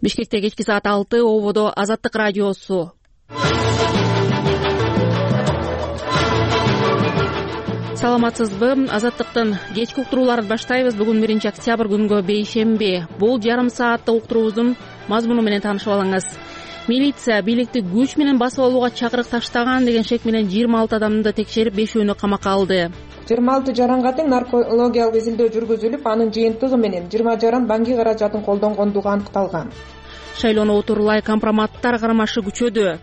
Бишкекте кечки саат 6, ободо Азаттык радиосу. Саламатсызбы? Азаттыктын кечки уктурууларын баштайбыз. Бүгүн 1 октябрь күнгө бейшемби. Бул жарым сааттык уктуруубуздун мазмуну менен таанышып алыңыз. Милиция бийликти күч менен басып алууга чакырык таштаган деген шек менен 26 адамды текшерип, 5-өөнү камакка алды. 26 жаранга тең наркологиялык изилдөө жүргүзүлүп, анын жыйынтыгы менен 20 жаран банки каражатын колдонгондугу аныкталган. Шайлоону отурлай компроматтар карамашы күчөдү.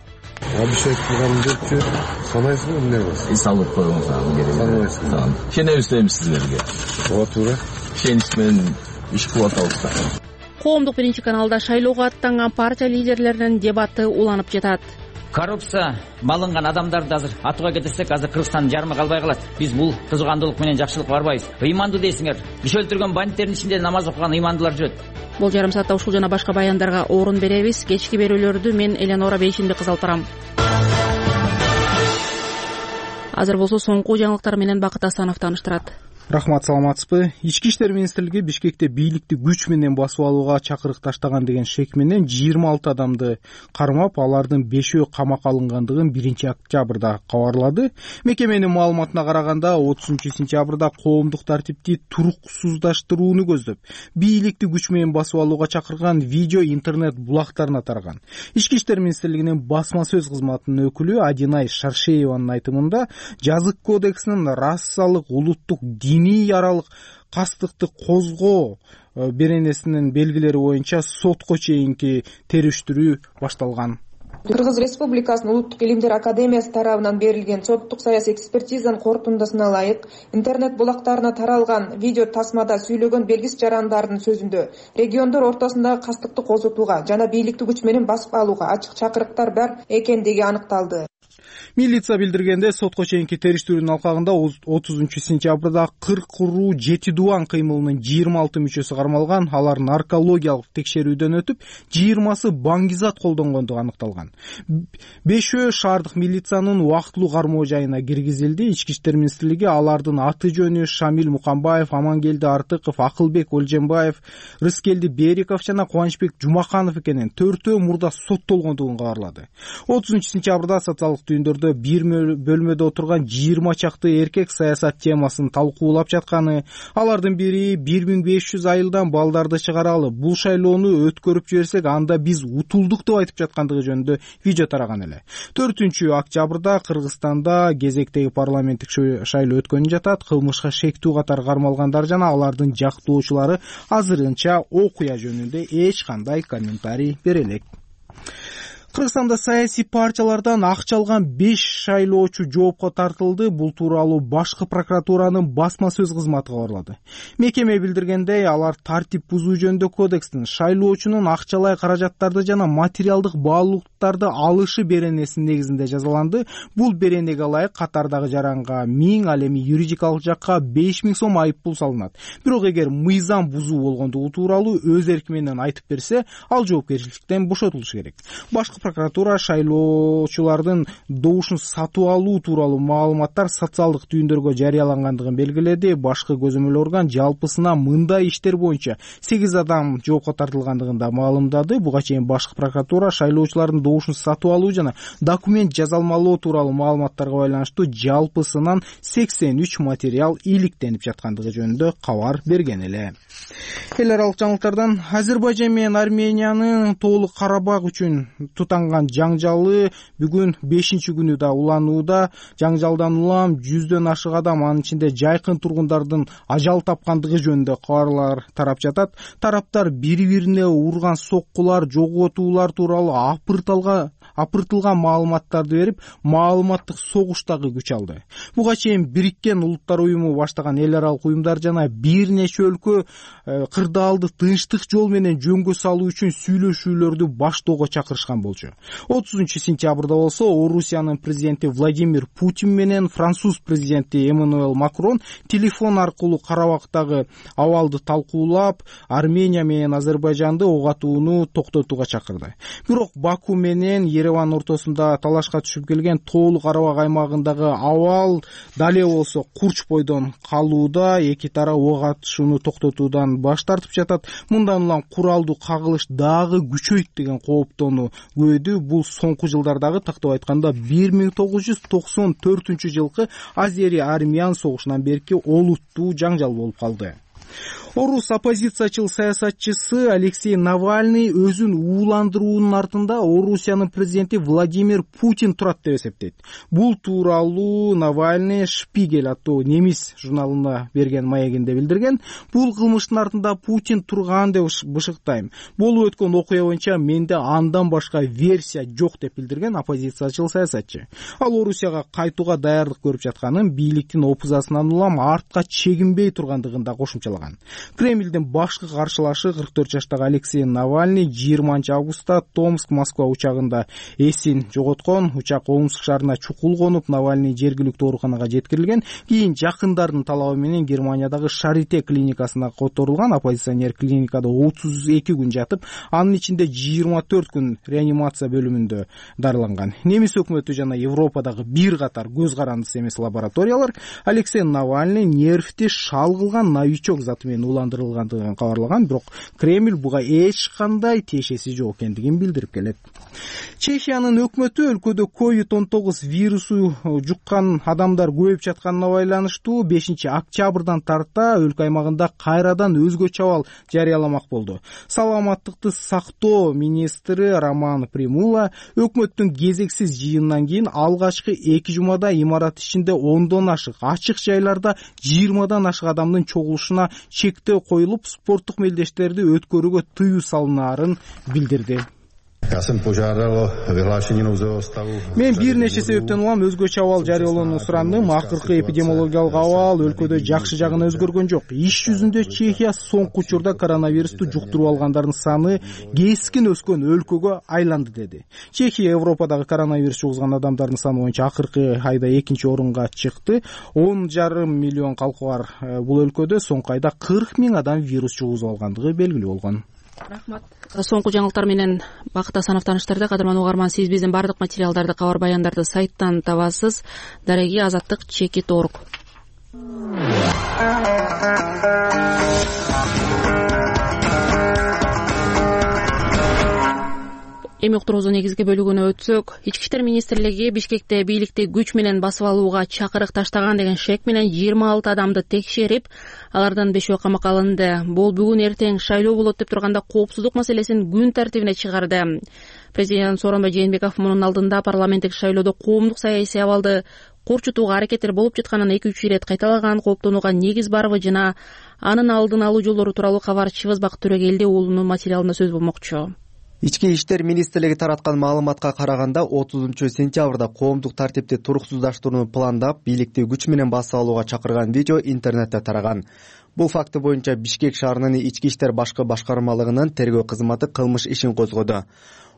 Обещать кылгандырчы санайсызбы эмне болсун? Салып коюңуз аны керек. Санайсызбы? Ишенебиз дейбиз сиздерге. Ооба туура. Ишенич менен иш кылып атабыз. Коомдук 1-каналда шайлоого аттанган партия лидерлеринин дебаты уланып жатат. Коррупция малынган адамдарды азыр атууга кетирсек, азыр Кыргызстандын жарымы калбай калат. Биз бул кызыгандуулук менен жакшылыкка барбайбыз. Ыймандуу дейсиңер. Киши өлтүргөн бандиттердин ичинде намаз окуган ыймандуулар жүрөт. Бул жарым саатта ушул жана башка баяндарга орун беребиз. Кечки берүүлөрдү мен Эленора Бейшимди кызы алып барам. Азыр болсо соңку жаңылыктар менен Бакыт Асанов тааныштырат. Рахмат, саламатсызбы? Ички иштер министрлиги Бишкекте бийликти күч менен басып алууга чакырык таштаган деген шек менен 26 адамды кармап, алардын 5-өө камакка алынгандыгын 1 октябрда кабарлады. Мекеменин маалыматына караганда 30-сентябрда коомдук тартипти туруксуздаштырууну көздөп, бийликти күч менен басып алууга чакырган видео интернет булактарына тараган. Ички иштер министрлигинин басма сөз кызматынын өкүлү Адинай Шаршееванын айтымында, жазык кодексинин расалык, улуттук, диний аралык кастыкты козгоо беренесинин белгилери боюнча сотко чейинки териштирүү башталган. Кыргыз Республикасынын Улуттук илимдер академиясы тарабынан берилген соттук саясий экспертизанын корутундусуна ылайык, интернет булактарына таралган видео тасмада сүйлөгөн белгисиз жарандардын сөзүндө региондор ортосундагы кастыкты козутууга жана бийликти күч менен басып алууга ачык чакырыктар бар экендиги аныкталды. Милиция билдиргенде, сотко чейинки териштирүүнүн алкагында 30-сентябрда 40 уруу 7 дубан кыймылынын 26 мүчөсү кармалган. Алар наркологиялык текшерүүдөн өтүп, 20сы баңгизат колдонгондугу аныкталган. 5-өө шаардык милициянын убактылуу кармоо жайына киргизилди. Ички иштер министрлиги алардын аты жөнү Шамил Мукамбаев, Амангелди Артыков, Акылбек Олженбаев, Рыскелди Бериков жана Кубанычбек Жумаканов экенин, 4-өө мурда соттолгондугун кабарлады. 30-сентябрда социалдык түйүндөрдө бир бөлмөдө отурган 20 чакты эркек саясат темасын талкуулап жатканы, алардын бири 1500 айылдан балдарды чыгаралы, бул шайлоону өткөрүп жиберсек, анда биз утулдук деп айтып жаткандыгы жөнүндө видео тараган эле. 4-октябрда Кыргызстанда кезектеги парламенттик шайлоо өткөнү жатат. Кылмышка шектүү катар кармалгандар жана алардын жактоочулары азырынча окуя жөнүндө эч кандай комментарий бере элек. Кыргызстанда саясий партиялардан акча алган 5 шайлоочу жоопко тартылды. Бул тууралуу башкы прокуратуранын басма сөз кызматы кабарлады. Мекеме билдиргендей, алар тартип бузуу жөнүндө кодекстин шайлоочунун акчалай каражаттарды жана материалдык баалуулуктарды алышы беренесинин негизинде жазаланды. Бул беренеге ылайык катардагы жаранга 1000, ал эми юридикалык жакка 5000 сом айып пул салынат. Бирок эгер мыйзам бузуу болгондугу тууралуу өз эрки менен айтып берсе, ал жоопкерчиликтен бошотулушу керек. Башкы прокуратура шайлоочулардын добушун сатып алуу тууралуу маалыматтар социалдык түйүндөргө жарыялангандыгын белгиледи. Башкы көзөмөл орган жалпысына мындай иштер боюнча 8 адам жоопко тартылгандыгын да маалымдады. Буга чейин башкы прокуратура шайлоочулардын добушун сатып алуу жана документ жазалмалоо тууралуу маалыматтарга байланыштуу жалпысынан 83 материал иликтенип жаткандыгы жөнүндө кабар берген эле. Эл аралык жаңылыктардан Азербайжан менен Армениянын Тоолук Карабак үчүн тутанган жаңжалы бүгүн 5-күнү да уланууда. Жаңжалдан улам 100дөн ашык адам, анын ичинде жайкын тургундардын ажал тапкандыгы жөнүндө кабарлар тарап жатат. Тараптар бири-бирине урган соккулар, жоготуулар тууралуу апыртылган маалыматтарды берип, маалыматтык согуштагы күч алды. Буга чейин Бириккен Улуттар уюму баштаган эл аралык уюмдар жана бир нече өлкө кырдаалды тынчтык жол менен жөнгө салуу үчүн сүйлөшүүлөрдү баштоого чакырышкан болчу. 30-сентябрда болсо Орусиянын президенти Владимир Путин менен француз президенти Эммануэль Макрон телефон аркылуу Карабактагы абалды талкуулап, Армения менен Азербайжанды ок атууну токтотууга чакырды. Бирок Баку менен Ереван ортосунда талашка түшүп келген Тоолуу Карабак аймагындагы абал дале болсо Курч бойдон калууда. Эки тарап ок атышууну токтотуудан баш тартып жатат. Мындан улам куралдуу кагылыш дагы күчөйт деген кооптоону күбөдү. Бул соңку жылдардагы, тактап айтканда 1994 жылкы Азери-Армян согушунан берки олуттуу жаңжал болуп калды. Орус оппозициячыл саясатчысы Алексей Навальный өзүн ууландыруунун артында Орусиянын президенти Владимир Путин турат деп эсептейт. Бул тууралуу Навальный Шпигель аттуу немис журналына берген маегинде билдирген. Бул кылмыштын артында Путин турган деп бышыктайм. Болуп өткөн окуя боюнча менде андан башка версия жок деп билдирген оппозициячыл саясатчы. Ал Орусияга кайтууга даярдык көрүп жатканын, бийликтин опузасынан улам артка чегинбей тургандыгын да кошумчалаган. Кремлдин башкы каршылашы 44 жаштагы Алексей Навальный 20 августта Томск-Москва учагында эсин жоготкон. Учак Омск шаарына чукул конуп, Навальный жергиликтүү ооруканага жеткирилген. Кийин жакындардын талабы менен Германиядагы Шарите клиникасына которулган. Оппозиционер клиникада 32 күн жатып, анын ичинде 24 күн реанимация бөлүмүндө дарыланган. Немис өкмөтү жана Европадагы бир катар көз карандысы эмес лабораториялар Алексей Навальный нервти шал кылган новичок заты менен уландырылгандыгын кабарлаган, бирок Кремль буга эч кандай тиешеси жок экендигин билдирип келет. Чехиянын өкмөтү өлкөдө COVID-19 вирусу жуккан адамдар көбөйүп жатканына байланыштуу 5 октябрдан тарта өлкө аймагында кайрадан өзгөчө абал жарыяламак болду. Саламаттыкты сактоо министри Роман Примула өкмөттүн кезексиз жыйынынан кийин алгачкы 2 жумада имарат ичинде 10дон ашык, ачык жайларда 20дан ашык адамдын чогулушуна чектөө коюлуп, спорттук мелдештерди өткөрүүгө тыюу салынаарын билдирди. Мен бир нече себептен улам өзгөчө абал жарыялоону сурандым. Акыркы эпидемиологиялык абал өлкөдө жакшы жагына өзгөргөн жок. Иш жүзүндө Чехия соңку учурда коронавирусту жуктуруп алгандардын саны кескин өскөн өлкөгө айланды, деди. Чехия Европадагы коронавирус жугузган адамдардын саны боюнча акыркы айда 2-орунга чыкты. 10,5 миллион калкы бар бул өлкөдө соңку айда 40 000 адам вирус жугузуп алгандыгы белгилүү болгон. Рахмат. Соңку жаңылыктар менен Бакыт Асанов тааныштырды. Кадырман угарман, сиз биздин бардык материалдарды, кабар баяндарды сайттан табасыз. Дареги Азаттык Чекит.org. Эми уктуруубуздун негизги бөлүгүнө өтсөк, Ички иштер министрлиги Бишкекте бийликти күч менен басып алууга чакырык таштаган деген шек менен 26 адамды текшерип, алардан 5-өө камакка алынды. Бул бүгүн эртең шайлоо болот деп турганда коопсуздук маселесин күн тартибине чыгарды. Президент Сооронбай Жээнбеков мунун алдында парламенттик шайлоодо коомдук саясий абалды корчутууга аракеттер болуп жатканын 2-3 ирет кайталаган, кооптонууга негиз барбы жана анын алдын алуу жолдору тууралуу кабарчыбыз Бакыт Төрөгелди уулунун материалында сөз болмокчу. Ички иштер министрлиги тараткан маалыматка караганда 30-сентябрда коомдук тартипти туруксуздаштырууну пландап, бийликти күч менен басып алууга чакырган видео интернетте тараган. Бул факты боюнча Бишкек шаарынын ички иштер башкы башкармалыгынын тергөө кызматы кылмыш ишин козгоду.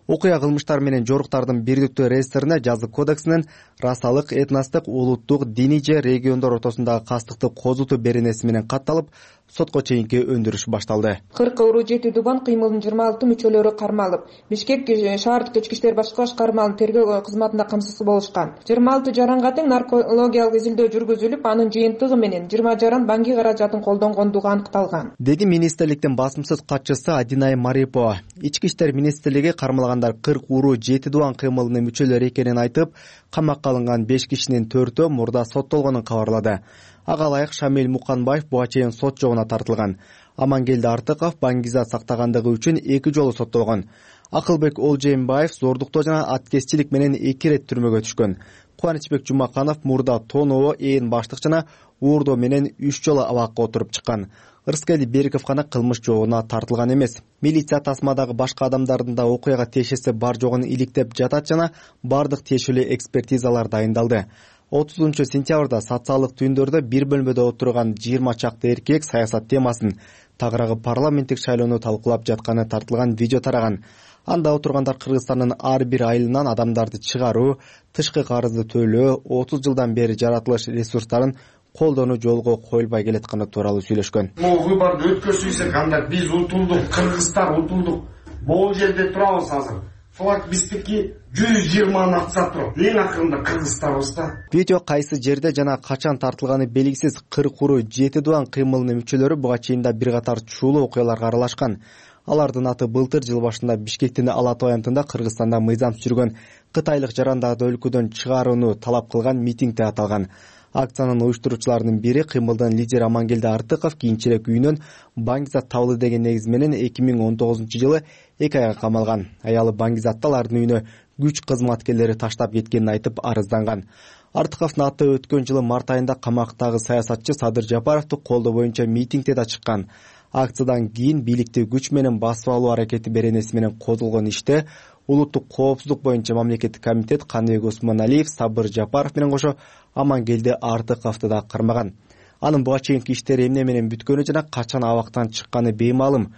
Окуя кылмыштар менен жоруктардын бирдиктүү реестрине жазык кодексинин расалык, этностук, улуттук, диний же региондор ортосундагы кастыкты козутуу беренеси менен катталып, сотко чейинки өндүрүш башталды. 40 уруу жети дубан кыймылдын 26 мүчөлөрү кармалып, Бишкек шаардык ички иштер башкы башкармалыгынын тергөө кызматында камсыз болушкан. 26 жаранга тең наркологиялык изилдөө жүргүзүлүп, анын жыйынтыгы менен 20 жаран банки каражатын колдонгондугу аныкталган, деди министрликтин басымсыз катчысы Адинай Марипова. Ички иштер министрлиги кармалгандар 40 уруу жети дубан кыймылынын мүчөлөрү экенин айтып, камакка алынган 5 кишинин 4-өө мурда соттолгонун кабарлады. Ага ылайык Шамил Муканбаев буга чейин сот жогуна тартылган. Амангелди Артыков баңгизат сактагандыгы үчүн 2 жолу соттолгон. Акылбек Олжеймбаев зордуктоо жана аткезчилик менен 2 рет түрмөгө түшкөн. Кубанычбек Жумаканов мурда тоноо, ээн баштык жана уурдоо менен 3 жолу абакка отуруп чыккан. Ырыскели Бериков гана кылмыш жолуна тартылган эмес. Милиция тасмадагы башка адамдардын да окуяга тиешеси бар жогун иликтеп жатат жана бардык тиешелүү экспертизалар дайындалды. 30-сентябрда социалдык түйүндөрдө бир бөлмөдө отурган 20 чакты эркек саясат темасын, тагыраагы парламенттик шайлоону талкуулап жатканы тартылган видео тараган. Анда отургандар Кыргызстандын ар бир айылынан адамдарды чыгаруу, тышкы карызды төлөө, 30 жылдан бери жаратылыш ресурстарын колдонуу жолго коюлбай келатканы тууралуу сүйлөшкөн. Могу выборду өткөрсөйсөк, анда биз утулдук, Кыргызстан утулдук. Бул жерде турабыз азыр. флаг биздики 120 атса туруп, эң акырында Кыргызстанбыз да. Видео кайсы жерде жана качан тартылганы белгисиз 40 уру 7 дуан кыймылынын мүчөлөрү буга чейин да бир катар чуулуу окуяларга аралашкан. Алардын аты былтыр жыл башында Бишкектин Алаты аянтында Кыргызстанда мыйзам жүргөн кытайлык жарандарды өлкөдөн чыгарууну талап кылган митингде аталган. Акциянын уюштуруучуларынын бири кыймылдын лидери Амангелди Артыков кийинчерээк үйүнөн Баңгизат табылды деген негиз менен 2019-жылы 2 айга камалган. Аялы Баңгизатта алардын үйүнө күч кызматкерлери таштап кеткенин айтып арызданган. Артыковдун аты өткөн жылы март айында камактагы саясатчы Садыр Жапаровду колдоо боюнча митингде да чыккан. Акциядан кийин бийликти күч менен басып алуу аракети беренеси менен козголгон иште улуттук коопсуздук боюнча мамлекеттик комитет Каныбек Осмоналиев, Сабыр Жапаров менен кошо Амангелди Артыковду да кармаган. Анын буга чейинки иштери эмне менен бүткөнү жана качан абактан чыкканы беймаалым.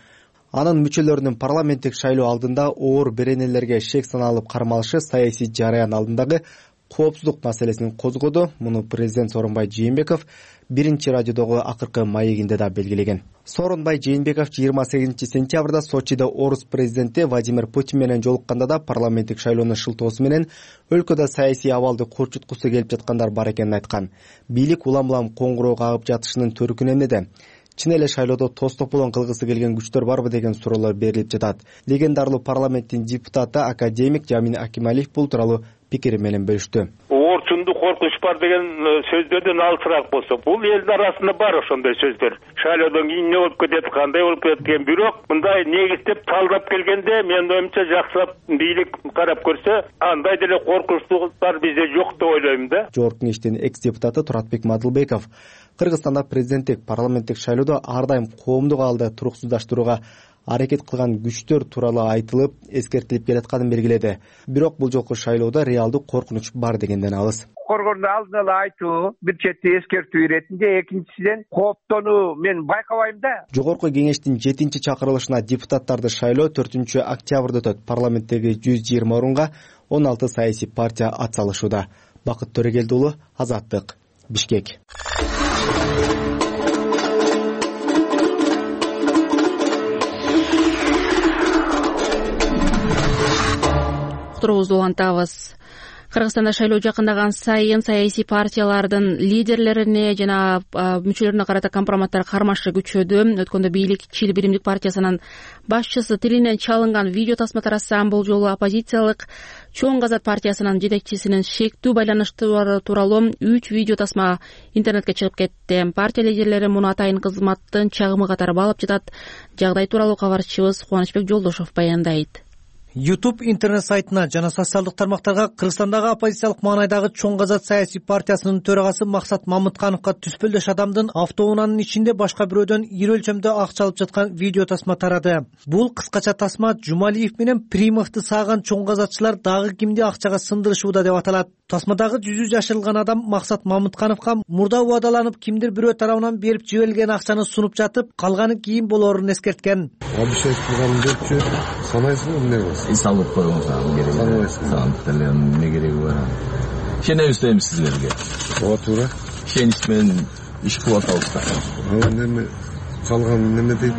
Анын мүчөлөрүнүн парламенттик шайлоо алдында оор беренелерге шек саналып кармалышы саясий жараян алдындагы коопсуздук маселесин козгоду. Муну президент Сооронбай Жээнбеков биринчи радиодогу акыркы маегинде да белгилеген. Сооронбай Жээнбеков 28 сентябрда Сочида орус президенти Владимир Путин менен жолукканда да парламенттик шайлоонун шылтоосу менен өлкөдө саясий абалды корчуткусу келип жаткандар бар экенин айткан. Бийлик улам-улам коңгуроо кагып жатышынын төркүнү эмнеде? Чын эле шайлоодо тостополон кылгысы келген күчтөр барбы деген суроолор берилип жатат. Легендарлуу парламенттин депутаты академик Жамин Акималиев бул тууралуу пикири менен бөлүштү. Орчунду коркунуч бар деген сөздөрдөн алысыраак болсо, бул элдин арасында бар ошондой сөздөр. Шайлоодон кийин эмне болуп кетет, кандай болуп кетет деген, бирок мындай негиздеп талдап келгенде менин оюмча жакшылап бийлик карап көрсө, андай деле коркунучтар бизде жок деп ойлойм да. Жогорку Кеңештин экс-депутаты Туратбек Мадылбеков Кыргызстанда президенттик парламенттик шайлоодо ар дайым коомдук абалды туруксуздаштырууга аракет кылган күчтөр тууралуу айтылып, эскертилип келатканын белгиледи. Бирок бул жолку шайлоодо реалдуу коркунуч бар дегенден алыс. Коргондо алдын ала айтуу, бир чети эскертүү иретинде, экинчисинен кооптонуу мен байкабайм да. Жогорку Кеңештин 7-чакырылышына депутаттарды шайлоо 4-октябрда өтөт. Парламенттеги 120 орунга 16 саясий партия ат салышууда. Бакыт Төрөгелди уулу, Азаттык, Бишкек. Уктуруубузду улантабыз. Кыргызстанда шайлоо жакындаган сайын саясий партиялардын лидерлерине жана мүчөлөрүнө карата компроматтар кармашы күчөдү. Өткөндө бийлик Чил биримдик партиясынын башчысы тилинен чалынган видео тасма таратсам, бул жолу оппозициялык Чоң Казат партиясынын жетекчисинин шектүү байланыштары тууралуу 3 видео тасма интернетке чыгып кетти. Партия лидерлери муну атайын кызматтын чагымы катары баалап жатат. Жагдай тууралуу кабарчыбыз Кубанычбек Жолдошов баяндайт. YouTube интернет сайтына жана социалдык тармактарга Кыргызстандагы оппозициялык маанайдагы Чоң Казат саясий партиясынын төрагасы Максат Мамыткановго түспөлдөш адамдын автоунаанын ичинде башка бирөөдөн ири өлчөмдө акча алып жаткан видео тасма тарады. Бул кыскача тасма Жумалиев менен Примовду сааган Чоң Казатчылар дагы кимди акчага сындырышууда деп аталат. Тасмадагы жүзү жашырылган адам Максат Мамыткановго мурда убадаланып кимдир бирөө тарабынан берип жиберилген акчаны сунуп жатып, калганы кийин болоорун эскерткен. Обещать кылган депчи санайсыңбы эмне кыласың? Салып койгон сагын керек. Санайсың. Эмне кереги бар? Ишенебиз дейм силерге. Ооба туура. Ишенич менен иш кылып атабыз да. Неме чалган неме дейт?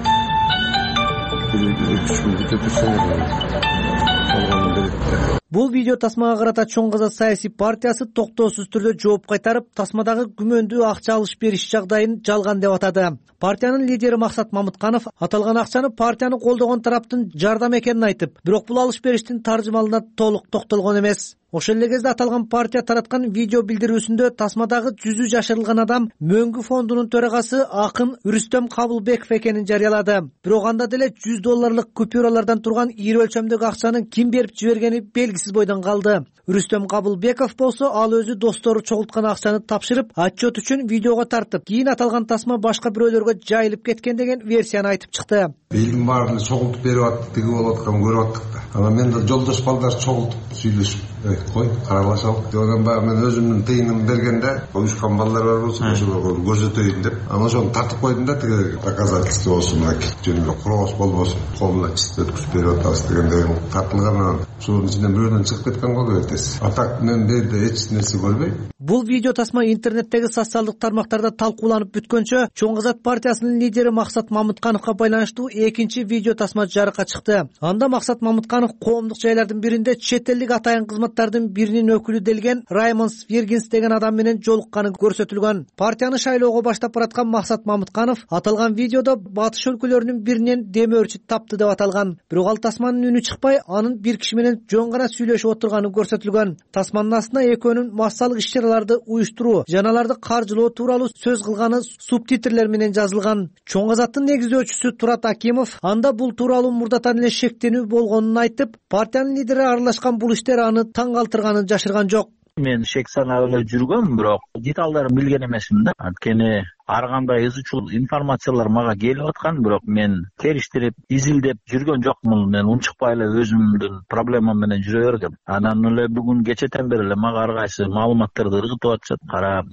Бул видео тасмага карата Чоң Казат саясий партиясы токтоосуз түрдө жооп кайтарып, тасмадагы күмөндүү акча алыш бериш жагдайын жалган деп атады. Партиянын лидери Максат Мамытканов аталган акчаны партияны колдогон тараптын жардам экенин айтып, бирок бул алыш бериштин таржымалына толук токтолгон эмес. Ошол эле кезде аталган партия тараткан видео билдирүүсүндө тасмадагы жүзү жашырылган адам Мөңгү фондунун төрагасы акын Рүстөм Кабылбеков экенин жарыялады. Бирок анда деле $100 купюралардан турган ири өлчөмдөгү акчаны ким берип жибергени белгисиз бойдон калды. Рүстөм Кабылбеков болсо ал өзү достору чогулткан акчаны тапшырып, отчет үчүн видеого тартып, кийин аталган тасма башка бирөөлөргө жайылып кеткен деген версияны айтып чыкты. Элдин баарын чогултуп берип аттык, тиги болуп атканын көрүп аттык да. Анан мен да жолдош балдар чогултуп сүйлөшүп, кой, каралашалык. Одан баягы мен өзүмдүн тыйынымды бергенде, уюшкан балдар бар болсо, ошолорго көрсөтөйүн деп, анан ошону тартып койдум да, тиги доказательство болсун, мынакей жөн эле курооз болбосун, колуна чист өткүзүп берип атабыз дегенден тартылган. Ошонун ичинен бирөөнөн чыгып кеткен болду эртеси. Атак мен берде эч нерсе көрбөйм. Бул видео тасма интернеттеги социалдык тармактарда талкууланып бүткөнчө, Чоң Казат партиясынын лидери Максат Мамыткановго байланыштуу экинчи видео тасма жарыкка чыкты. Анда Максат Мамытканов коомдук жайлардын биринде чет элдик атайын кызматтардын биринин өкүлү делген Раймонд Свергинс деген адам менен жолукканы көрсөтүлгөн. Партияны шайлоого баштап бараткан Максат Мамытканов аталган видеодо батыш өлкөлөрүнүн биринен дем өрчү тапты деп аталган. Бирок ал тасманын үнү чыкпай, анын бир киши менен жөн гана сүйлөшүп отурганы көрсөтүлгөн. Тасманын астына экөөнүн массалык иш-чараларды уюштуруу жана аларды каржылоо тууралуу сөз кылганы субтитрлер менен жазылган. Чоң Азаттын негиздөөчүсү Турат Акимов анда бул тууралуу мурдатан эле шектенүү болгонун айтып, партиянын лидери аралашкан бул иштер аны таң калтырганын жашырган жок. Мен шек санап эле жүргөм, бирок деталдарын билген эмесмин да. Анткени ар кандай ыз чул информациялар мага келип аткан, бирок мен териштирип, изилдеп жүргөн жокмун. Мен унчукпай эле өзүмдүн проблемам менен жүрө бергем. Анан эле бүгүн кечетен бери эле мага ар кайсы маалыматтарды ыргытып атышат. Карап,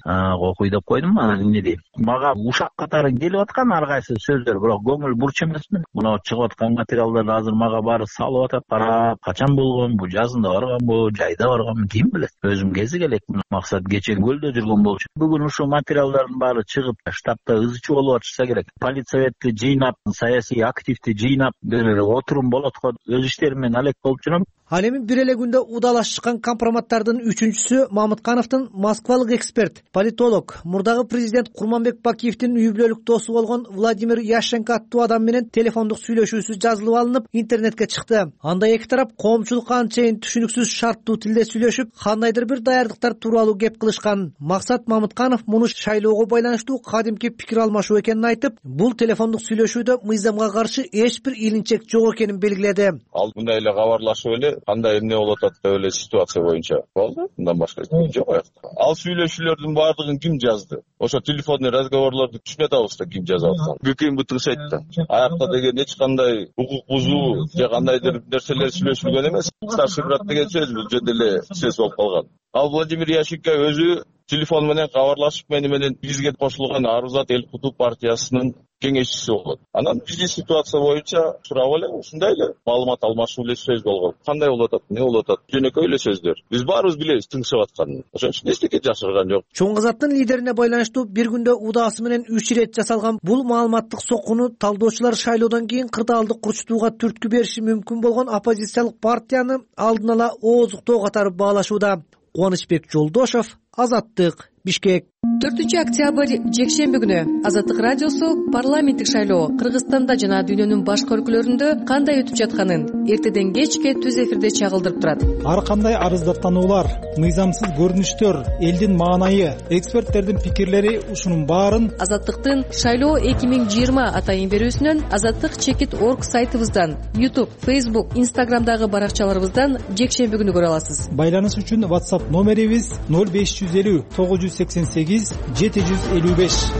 окуй деп койдум. Анан эмне дейм? Мага ушак катары келип аткан ар кайсы сөздөр, бирок көңүл бурч эмесмин. Мына чыгып аткан материалдарды азыр мага баары салып атат. Карап, качан болгон, бул жазында барганбы, жайда барганбы, ким билет? Өзүм кезик элекмин. Максат кече көлдө жүргөн болчу. Бүгүн ушул материалдардын баары чыгып штабта ызычы болуп атышса керек. Политсоветти жыйнап, саясий активди жыйнап, бир отурум болот го, өз иштерим менен алек болуп жүрөм. Ал эми бир эле күндө удалашкан компроматтардын үчүнчүсү Мамыткановдун москвалык эксперт, политолог, мурдагы президент Курманбек Бакиевдин үй бүлөлүк досу болгон Владимир Яшенко аттуу адам менен телефондук сүйлөшүүсү жазылып алынып, интернетке чыкты. Анда эки тарап коомчулукка анчейин түшүнүксүз шарттуу тилде сүйлөшүп, кандайдыр бир даярдыктар тууралуу кеп кылышкан. Максат Мамытканов муну шайлоого байланыштуу кадимки пикир алмашуу экенин айтып, бул телефондук сүйлөшүүдө мыйзамга каршы эч бир илинчек жок экенин белгиледи. Ал мындай эле кабарлашып эле кандай эмне болуп атат деп эле ситуация боюнча болду. Мындан башка жок аякта. Ал сүйлөшүүлөрдүн баардыгын ким жазды? Ошо телефонный разговорлорду түшүнүп атабыз да ким жазып атканын. ГКМ бутын сайтта. Аякта деген эч кандай укук бузуу же кандайдыр нерселер сүйлөшүлгөн эмес. Старший брат деген сөз бул жерде эле сөз болуп калган. Ал Владимир Яшенко өзү телефон менен кабарлашып менен бизге кошулган Арузат Эл Куту партиясынын кеңешчиси болот. Анан биздин ситуация боюнча сурап эле ушундай эле маалымат алмашуу эле сөз болгон. Кандай болуп атат, эмне болуп атат? Жөнөкөй эле сөздөр. Биз баарыбыз билебиз тыңшып атканын. Ошон үчүн эчтеке жашырган жок. Чоң Азаттын лидерине байланыштуу бир күндө удаасы менен 3 ирет жасалган бул маалыматтык соккуну талдоочулар шайлоодон кийин кырдаалды курчутууга түрткү бериши мүмкүн болгон оппозициялык партияны алдын ала ооздуктоо катары баалашууда. Кубанычбек Жолдошов, Азаттык, Бишкек. 4-октябрь жекшемби күнү Азаттык радиосу парламенттик шайлоо Кыргызстанда жана дүйнөнүн башка өлкөлөрүндө кандай өтүп жатканын эртеден кечке түз эфирде чагылдырып турат. Ар кандай арыздаттануулар, мыйзамсыз көрүнүштөр, элдин маанайы, эксперттердин пикирлери ушунун баарын Азаттыктын шайлоо 2020 атайын берүүсүнөн azattik.org сайтыбыздан, YouTube, Facebook, Instagramдагы баракчаларыбыздан жекшемби күнү көрө аласыз. Байланыш үчүн WhatsApp номерибиз 0550 988 755.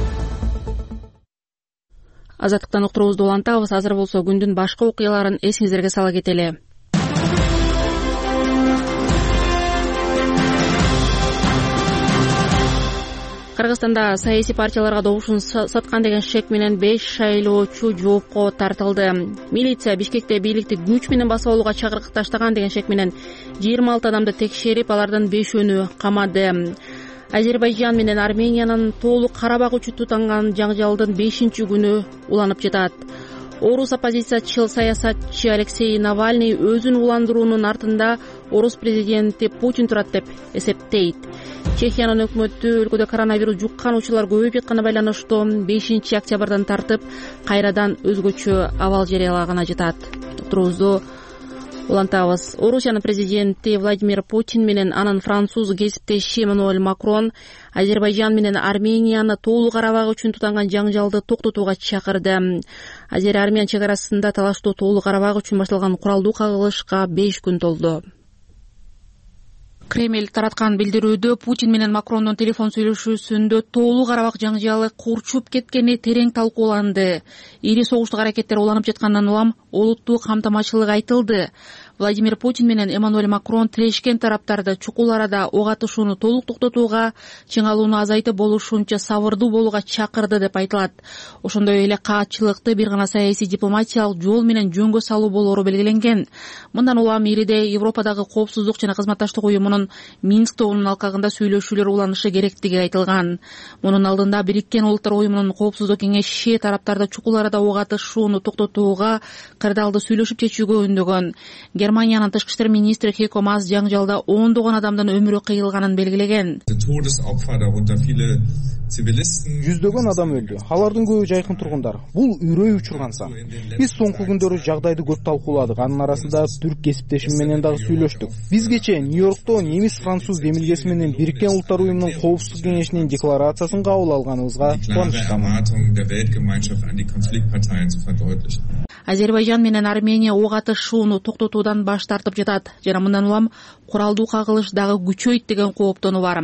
Азаттыктан уктуруубузду улантабыз. Азыр болсо күндүн башка окуяларын эсиңиздерге сала кетели. Кыргызстанда саясий партияларга добушун саткан деген шек менен 5 шайлоочу жоопко тартылды. Милиция Бишкекте бийликти күч менен басып алууга чакырык таштаган деген шек менен 26 адамды текшерип, алардын 5-өөнү камады. Азербайжан менен Армениянын тоолук Карабак үчүн тутанган жаңжалдын 5-күнү уланып жатат. Орус оппозициячыл саясатчы Алексей Навальный өзүн уландыруунун артында орус президенти Путин турат деп эсептейт. Чехиянын өкмөтү өлкөдө коронавирус жуккан учурлар көбөйүп жатканына байланыштуу 5-октябрдан тартып кайрадан өзгөчө абал жарыялаганына жатат. Турубузду улантабыз. Орусиянын президенти Владимир Путин менен анын француз кесиптеши Эммануэль Макрон Азербайжан менен Арменияны тоолук Карабак үчүн тутанган жаңжалды токтотууга чакырды. Азер-Армян чек арасында талаштуу тоолук Карабак үчүн башталган куралдуу кагылышка 5 күн толду. Кремль тараткан билдирүүдө Путин менен Макрондун телефон сүйлөшүүсүндө тоолук Карабак жаңжалы курчуп кеткени терең талкууланды. Ири согуштук аракеттер уланып жаткандан улам олуттуу камтамачылык айтылды. Владимир Путин менен Эммануэль Макрон тирешкен тараптарды чукул арада ок атышууну толук токтотууга, чыңалууну азайтып болушунча сабырдуу болууга чакырды деп айтылат. Ошондой эле каатчылыкты бир гана саясий дипломатиялык жол менен жөнгө салуу болоору белгиленген. Мындан улам ириде Европадагы коопсуздук жана кызматташтык уюмунун Минск тобунун алкагында сүйлөшүүлөр уланышы керектиги айтылган. Мунун алдында Бириккен Улуттар уюмунун коопсуздук кеңеши тараптарды чукул арада ок атышууну токтотууга кырдаалды сүйлөшүп чечүүгө үндөгөн. Германиянын тышкы иштер министри Хейко Маас жаңжалда ондогон адамдын өмүрү кыйылганын белгилеген. Жүздөгөн адам өлдү. Алардын көбү жайкын тургундар. Бул үрөй учурган сан. Биз соңку күндөрү жагдайды көп талкууладык. Анын арасында түрк кесиптешим менен дагы сүйлөштүк. Биз кечээ Нью-Йоркто немис-француз демилгеси менен Бириккен Улуттар уюмунун коопсуздук кеңешинин декларациясын кабыл алганыбызга кубанычтамын. Азербайжан менен Армения ок атышууну токтотуудан баш тартып жатат жана мындан улам куралдуу кагылыш дагы күчөйт деген кооптонуу бар.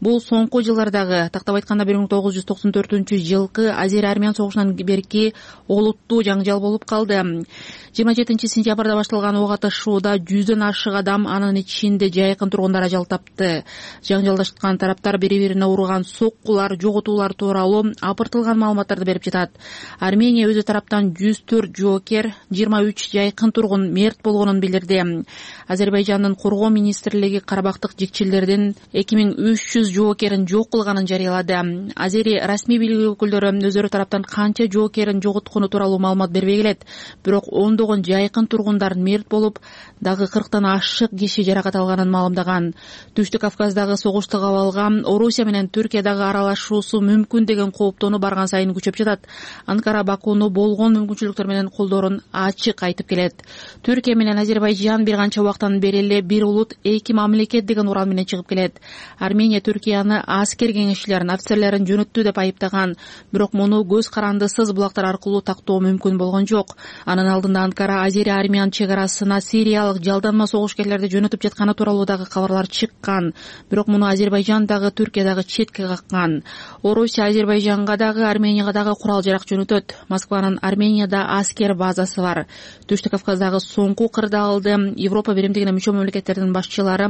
Бул соңку жылдардагы, тактап айтканда 1994-жылкы Азер-Армян согушунан берки олуттуу жаңжал болуп калды. 27-сентябрда башталган ок атышууда 100дөн ашык адам, анын ичинде жайкын тургундар ажал тапты. Жаңжалдашкан тараптар бири-бирине урган соккулар, жоготуулар тууралуу апыртылган маалыматтарды берип жатат. Армения өзү тараптан 104 жоокер, 23 жайкын тургун мерт болгонун билдирди. Азербайжандын коргоо министрлиги Карабактык жекчилердин 2300 жоокерин жок кылганын жарыялады. Азери расмий бийлик өкүлдөрү өздөрү тараптан канча жоокерин жоготкону тууралуу маалымат бербей келет. Бирок ондогон жайкын тургундар мерт болуп, дагы 40тан ашык киши жаракат алганын маалымдаган. Түштүк Кавказдагы согушту кабылга Орусия менен Түркиядагы аралашуусу мүмкүн деген кооптонуу барган сайын күчөп жатат. Анкара Бакууну болгон мүмкүнчүлүктөр менен колдоорун ачык айтып келет. Түркия менен Азербайжан бир канча убактан бери эле бир улут, эки мамлекет деген уран менен чыгып келет. Армения Түркияны аскер кеңешчилерин, офицерлерин жөнөттү деп айыптаган, бирок муну көз карандысыз булактар аркылуу тактоо мүмкүн болгон жок. Анын алдында Анкара Азери-Армян чек арасына сириялык жалданма согушкерлерди жөнөтүп жатканы тууралуу дагы кабарлар чыккан. Бирок муну Азербайжан дагы Түркия дагы четке каккан. Орусия Азербайжанга дагы, Арменияга дагы курал жарак жөнөтөт. Москванын Арменияда аскер базасы бар. Түштүк Кавказдагы соңку кырдаалды Европа биримдигине мүчө мамлекеттердин башчылары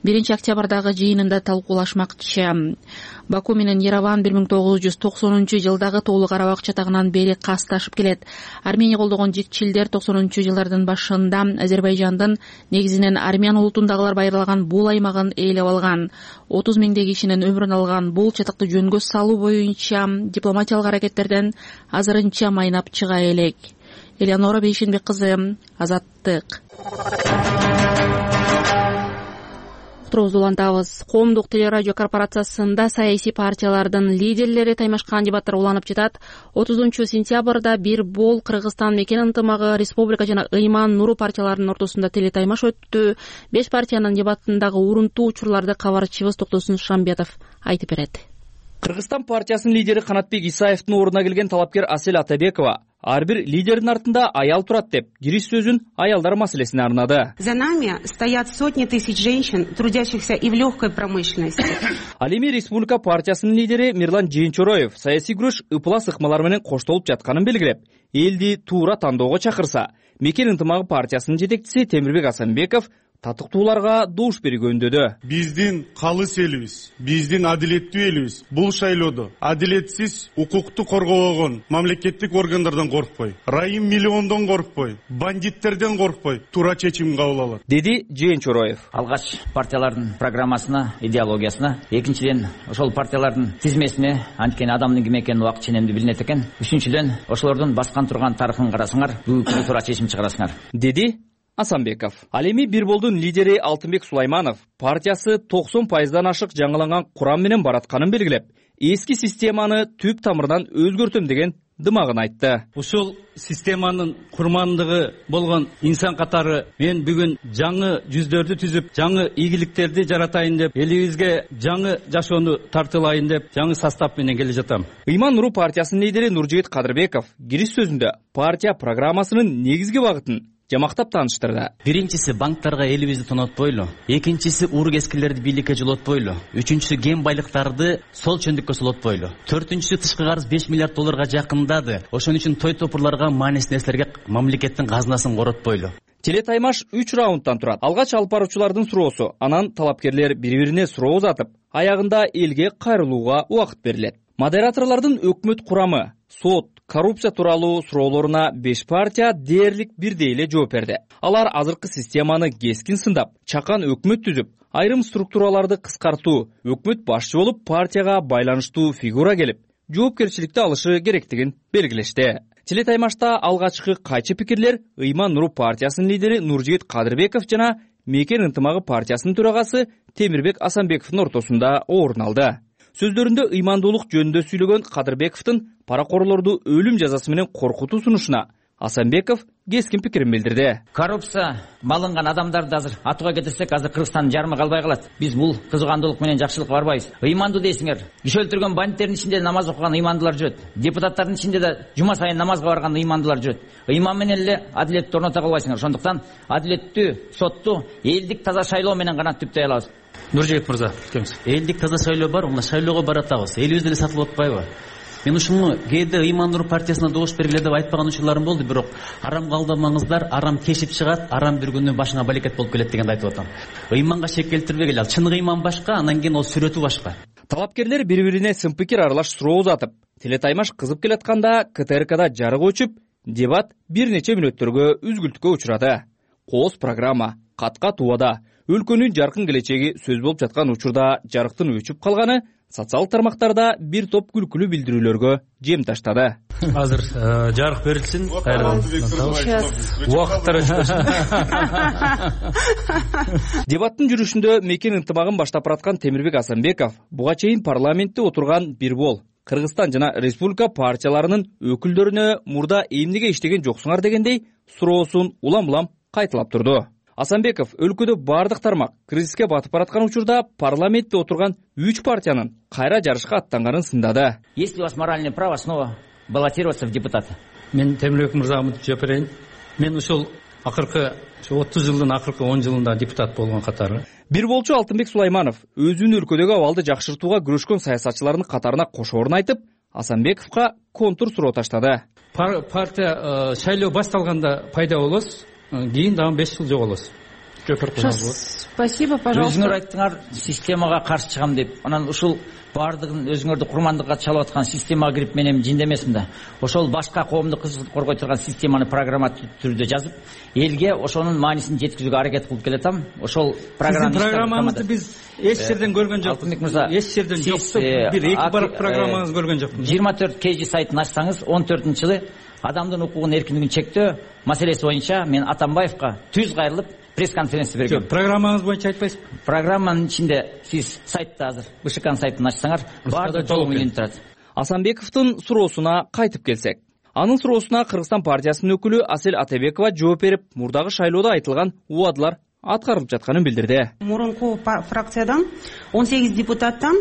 1-октябрдагы жыйынында талкуулашмакчы. Баку менен Ереван 1990-жылдагы Тоолуу Карабак чатагынан бери касташып келет. Армения колдогон жекчилдер 90-жылдардын башында Азербайжандын, негизинен армян улутундагылар байырлаган бул аймагын ээлеп алган. 30 миңдей кишинин өмүрүн алган бул чатакты жөнгө салуу боюнча дипломатиялык аракеттерден азырынча майнап чыга элек. Элеонора Бейшенбек кызы, Азаттык. Уктуруубузду улантабыз. Коомдук телерадио корпорациясында саясий партиялардын лидерлери таймашкан дебаттар уланып жатат. 30-сентябрда бир бол Кыргызстан мекен ынтымагы, Республика жана Ыйман Нуру партияларынын ортосунда телетаймаш өттү. 5 партиянын дебаттындагы урунтуу учурларды кабарчыбыз Токтосун Шамбетов айтып берет. Кыргызстан партиясынын лидери Канатбек Исаевдин ордуна келген талапкер Асель Атабекова ар бир лидердин артында аял турат деп кириш сөзүн аялдар маселесине арнады. За нами стоят сотни тысяч женщин, трудящихся и в легкой промышленности. Ал эми Республика партиясынын лидери Мирлан Жээнчороев саясий күрөш ыплас ыкмалар менен коштолуп жатканын белгилеп, элди туура тандоого чакырса, мекен ынтымагы партиясынын жетекчиси Темирбек Асанбеков татыктууларга добуш берүүгө үндөдү. Биздин калыс элибиз, биздин адилеттүү элибиз бул шайлоодо адилетсиз укукту коргобогон мамлекеттик органдардан коркпой, райым миллиондон коркпой, бандиттерден коркпой туура чечим кабыл алат, деди Жээнчороев. Алгач партиялардын программасына, идеологиясына, экинчиден ошол партиялардын тизмесине анткени адамдын ким экени убакыт ченемдүү билинет экен. Үчүнчүдөн ошолордун баскан турган тарыхын карасаңар, бүгүнкү туура чечим чыгарасыңар, деди Асанбеков. Ал эми бир болдун лидери Алтынбек Сулайманов партиясы 90% ашык жаңыланган курам менен баратканын белгилеп, эски системаны түп тамырынан өзгөртөм деген дымагын айтты. Ушул системанын курмандыгы болгон инсан катары мен бүгүн жаңы жүздөрдү түзүп, жаңы ийгиликтерди жаратайын деп, элибизге жаңы жашоону тартылайын деп, жаңы состав менен келе жатам. Ыйман Нуру партиясынын лидери Нуржигит Кадырбеков кириш сөзүндө партия программасынын негизги багытын жамактап тааныштырды. Биринчиси банктарга элибизди тонотпойлу, экинчиси урук эскилерди бийликке жолотпойлу, үчүнчүсү кен байлыктарды сол чөндүккө солотпойлу, төртүнчүсү тышкы карыз $5 миллиард жакындады. Ошон үчүн той топурларга, маанисиз нерселерге мамлекеттин казынасын коротпойлу. теле таймаш 3 раундтан турат. Алгач алып баруучулардын суроосу, анан талапкерлер бири-бирине суроо узатып, аягында элге кайрылууга убакыт берилет. Модераторлордун өкмөт курамы, сот, коррупция тууралуу суроолоруна 5 партия дээрлик бирдей эле жооп берди. Алар азыркы системаны кескин сындап, чакан өкмөт түзүп, айрым структураларды кыскартуу, өкмөт башчы болуп партияга байланыштуу фигура келип, жоопкерчиликти алышы керектигин белгилешти. Теле таймашта алгачкы кайчы пикирлер Ыйман Нуру партиясынын лидери Нуржигит Кадырбеков жана Мекен ынтымагы партиясынын төрагасы Темирбек Асанбековдун ортосунда орун алды. Сөздөрүндө ыймандуулук жөнүндө сүйлөгөн Кадырбековдун паракорлорду өлүм жазасы менен коркутуу сунушуна Асанбеков кескин пикирин билдирди. Коррупция малынган адамдарды азыр атууга кетирсек, азыр Кыргызстандын жарымы калбай калат. Биз бул кызгандуулук менен жакшылыкка барбайбыз. Ыймандуу дейсиңер. Киши өлтүргөн бандиттердин ичинде намаз окуган ыймандуулар жүрөт. Депутаттардын ичинде да жума сайын намазга барган ыймандуулар жүрөт. Ыйман менен эле адилетти орното албайсыңар. Ошондуктан адилеттүү сотту элдик таза шайлоо менен гана түптөй алабыз. Нуржигит мырза, элдик таза шайлоо бар, мына шайлоого баратабыз. Элибиз деле сатылып атпайбы? Мен ушуну кээде Ыйман Нур партиясына добуш бергиле деп айтпаган учурларым болду, бирок арамга алдамаңыздар, арам кешип чыгат, арам бир күнү башыңа балекет болуп келет дегенди айтып атам. Ыйманга шек келтирбегиле, ал чын ыйман башка, анан кийин ол сүрөтү башка. Талапкерлер бири-бирине сын пикир аралаш суроо узатып, теле таймаш кызып келатканда КТРКда жарык өчүп, дебат бир нече мүнөттөргө үзгүлтүккө учурады. Кооз программа, кат-кат убада, өлкөнүн жаркын келечеги сөз болуп жаткан учурда жарыктын өчүп калганы социалдык тармактарда бир топ күлкүлүү билдирүүлөргө жем таштады. Азыр жарык берилсин. Убакыттар өтсүн. Дебаттын жүрүшүндө Мекен ынтымагын баштап бараткан Темирбек Асанбеков буга чейин парламентте отурган бир бол Кыргызстан жана республика партияларынын өкүлдөрүнө мурда эмнеге иштеген жоксуңар дегендей суроосун улам-улам кайталап турду. Асанбеков өлкөдө бардык тармак кризиске батып бараткан учурда парламентте отурган 3 партиянын кайра жарышка аттанганын сындады. Есть ли у вас моральное право снова баллотироваться в депутаты? Мен Темирбек мырзага жооп берейин. Мен ошол акыркы 30 жылдын акыркы 10 жылында депутат болгон катары. Бир болчу Алтынбек Сулайманов өзүнүн өлкөдөгү абалды жакшыртууга күрөшкөн саясатчылардын катарына кошоорун айтып, Асанбековго контур суроо таштады. Партия шайлоо башталганда пайда болосуз, кийин дагы 5 жыл жоголосуз. Спасибо, пожалуйста. Өзүңөр айттыңар, системага каршы чыгам деп. Анан ушул бардыгын өзүңөрдү курмандыкка чалып аткан системага кирип мен эми жиндемесмин да. Ошол башка коомдук кызыкты коргой турган системаны программа түрдө жазып, элге ошонун маанисин жеткизүүгө аракет кылып келатам. Ошол программаны биз эч жерден көргөн жокпуз. Эч жерден жок. Бир эки барак программаңыз көргөн жокпуз. 24 KG сайтын ачсаңыз, 14-жылы адамдын укугун эркиндигин чектөө маселеси боюнча мен Атамбаевга түз кайрылып пресс-конференция бергем. Программаңыз боюнча айтпайсызбы? Программанын ичинде сиз сайтта азыр БШКнын сайтын ачсаңар, баардык толук менен турат. Асанбековдун суроосуна кайтып келсек, анын суроосуна Кыргызстан партиясынын өкүлү Асель Атебекова жооп берип, мурдагы шайлоодо айтылган убадалар аткарылып жатканын билдирди. Мурунку фракциядан 18 депутаттан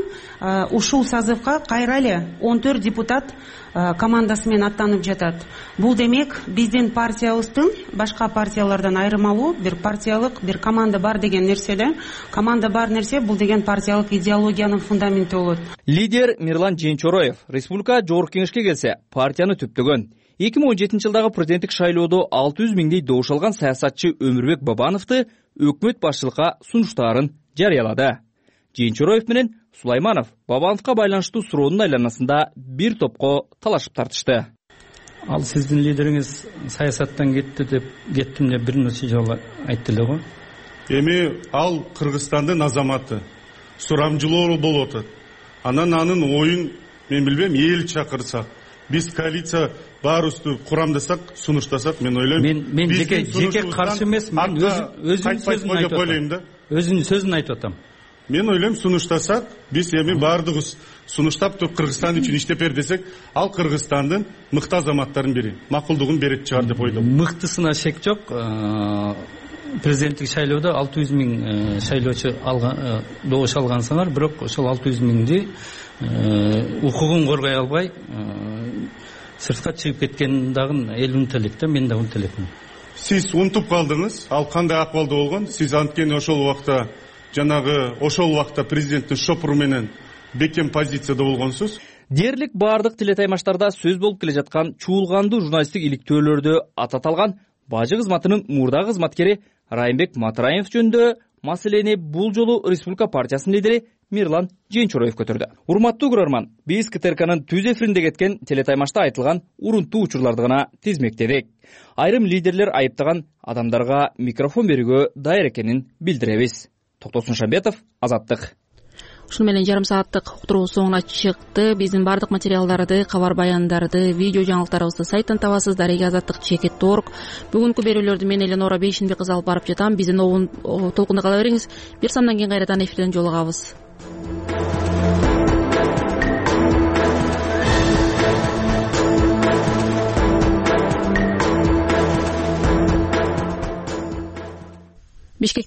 ушул созывга кайра эле 14 депутат командасы менен аттанып жатат. Бул демек биздин партиябыздын башка партиялардан айырмалуу бир партиялык бир команда бар деген нерсе да. Команда бар нерсе бул деген партиялык идеологиянын фундаменти болот. Лидер Мирлан Женчороев республика жогорку кеңешке келсе партияны түптөгөн. 2017 жылдагы президенттик шайлоодо 600 миңдей добуш алган саясатчы Өмүрбек Бабановду өкмөт башчылыкка сунуштаарын жарыялады. Женчороев менен Сулайманов Бабановго байланыштуу суроонун айланасында бир топко талашып тартышты. Ал сиздин лидериңиз саясаттан кеттим деп бир нече жолу айтты эле го. Эми ал Кыргызстандын азаматы. Сурамжылоо болуп атат. Анын оюн мен билбейм, эл чакырсак, биз коалиция баарыбызды курамдасак, сунуштасак, мен ойлойм. Мен жеке каршы эмес, мен өзүнүн сөзүн айтып атам. Мен ойлойм, сунуштасак, биз эми баардыгыбыз сунуштап туруп Кыргызстан үчүн иштеп бер десек, ал Кыргызстандын мыкты азаматтарын бири, макулдугун берет чыгар деп ойлойм. Мыктысына шек жок. Президенттик шайлоодо 600 миң шайлоочу добуш алгансыңар, бирок ошол 600 миңди укугун коргой албай сыртка чыгып кеткен дагы эл унутелек да, мен да унутелекмин. Сиз унутуп калдыңыз, ал кандай акыбалда болгон? Сиз анткени ошол убакта президенттин шопуру менен бекем позицияда болгонсуз. Дээрлик бардык телетаймаштарда сөз болуп келе жаткан чуулгандуу журналисттик иликтөөлөрдө атат алган бажы кызматынын мурдагы кызматкери Райымбек Матраев жөнүндө маселени бул жолу Республика партиясынын лидери Мирлан Женчороев көтөрдү. Урматтуу көрөрман, биз КТРКнын түз эфиринде кеткен телетаймашта айтылган урунтуу учурларды гана тизмектедик. Айрым лидерлер айыптаган адамдарга микрофон берүүгө даяр экенин билдиребиз. Токтосун Шамбетов, Азаттык. Ушуну менен жарым сааттык уктуруу соңуна чыкты. Биздин бардык материалдарды, кабар баяндарды, видео жаңылыктарыбызды сайттан табасыз. Дареги Азаттык.org. Бүгүнкү берүүлөрдү мен Эленора Бейшинбек кызы алып барып жатам. Биздин толкунда кала бериңиз. Бир сандан кийин кайрадан эфирден жолугабыз. Бишкек